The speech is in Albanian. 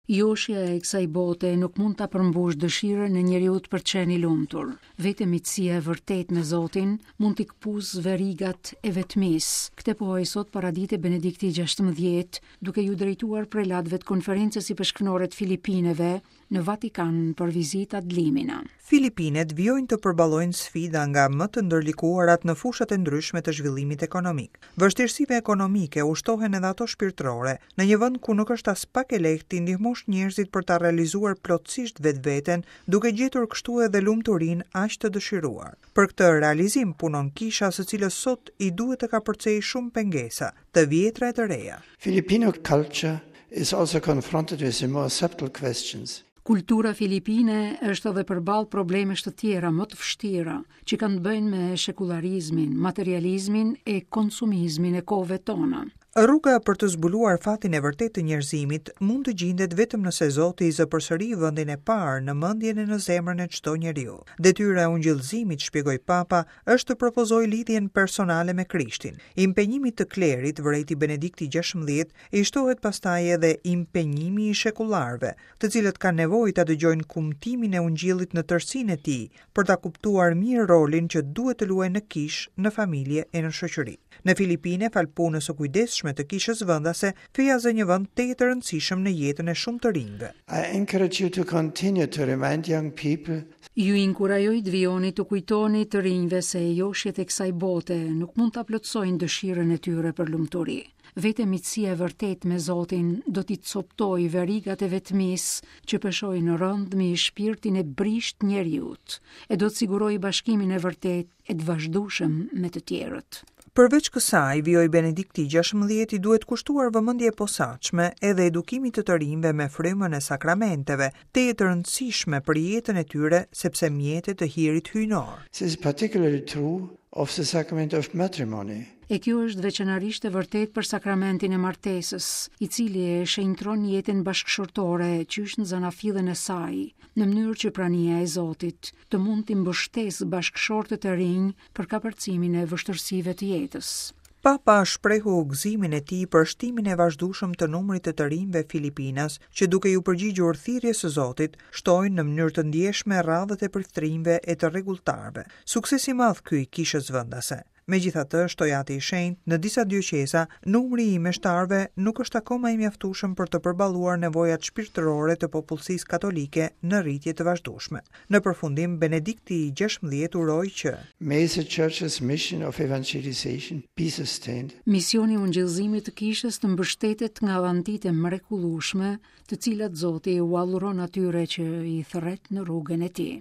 Joshja e kësaj bote nuk mund ta përmbushë dëshirën e njeriut për të qenë i lumtur. Vetëm miqësia e vërtetë me Zotin mund t'i këpusë verigat e vetmisë. Këtë pohoi sot paradite Benedikti XVI, duke iu drejtuar prelatëve të Konferencës Ipeshkvnore të Filipineve në Vatikan për vizitë ad limina. Filipinet vijojnë të përballojnë sfida nga më të ndërlikuarat në fushat e ndryshme të zhvillimit ekonomik. Vështirësive ekonomike u shtohen edhe ato shpirtërore, në një vend ku nuk është aspak e lehtë t'i ndihmosh njerëzit për ta realizuar plotësisht vetveten, duke gjetur kështu edhe lumturinë aq të dëshiruar. Për këtë realizim punon kisha së cilës sot i duhet të kapërcejë shumë pengesa, të vjetra e të reja. Filipino culture is also confronted with the more subtle questions. Kultura filipine është edhe përballë problemesh të tjera më të vështira, që kanë të bëjnë me shekullarizmin, materializmin e konsumizmin e kohëve tona. Rruga për të zbuluar fatin e vërtetë të njerëzimit mund të gjindet vetëm nëse Zoti i zë përsëri vendin e parë në mendjen e në zemrën e çdo njeriu. Detyra e ungjillëzimit, shpjegoi Papa, është të propozojë lidhjen personale me Krishtin. Impenjimit të klerit, vërejti Benedikti XVI, i shtohet pastaj edhe impenjimi i shekullarëve, të cilët kanë nevojë ta dëgjojnë kumtimin e Ungjillit në tërësinë e tij, për ta kuptuar mirë rolin që duhet të luajnë në kishë, në familje e në shoqëri. Në Filipine, falë punës së kujdesshme të kishës vendase, feja zë një vend tejet të rëndësishëm në jetën e shumë të rinjve. I encourage you to continue to remind young people Ju inkurajoj të vijoni t'u kujtoni të rinjve se joshjet e kësaj bote nuk mund ta plotësojnë dëshirën e tyre për lumturi. Vetëm miqësia e vërtetë me Zotin do t'i copëtojë verigat e vetmisë që peshojnë rëndë mbi shpirtin e brishtë të njeriut, e do të sigurojë bashkimin e vërtetë e të vazhdueshëm me të tjerët. Përveç kësaj, vijoi Benedikti XVI, i duhet kushtuar vëmendje e posaçme edhe edukimit të të rinjve me frymën e sakramenteve, tejet të rëndësishme për jetën e tyre sepse mjete të hirit hyjnor. This is particularly true of the sacrament of matrimony. E kjo është veçanërisht e vërtetë për sakramentin e martesës, i cili e shenjtëron jetën bashkëshortore qysh në zanafillën e saj, në mënyrë që prania e Zotit të mund t'i mbështesë bashkëshortët e rinj për kapërcimin e vështirësive të jetës. Papa shprehu gëzimin e tij për shtimin e vazhdueshëm të numrit të të rinjve filipinas që duke iu përgjigjur thirrjes së Zotit, shtojnë në mënyrë të ndjeshme radhët e priftërinjve e të rregulltarëve. Sukses i madh ky i kishës vendase. Megjithatë, shtoi Ati i Shenjtë, në disa dioqeza, numri i meshtarëve nuk është akoma i mjaftueshëm për të përballuar nevojat shpirtërore të popullsisë katolike në rritje të vazhdueshme. Në përfundim, Benedikti i XVI uroi që. May the Church's mission of evangelization be sustained. Misioni i ungjillëzimit të Kishës të mbështetet nga dhantitë e mrekullueshme, të cilat Zoti ua dhuron atyre që i thërret në rrugën e tij.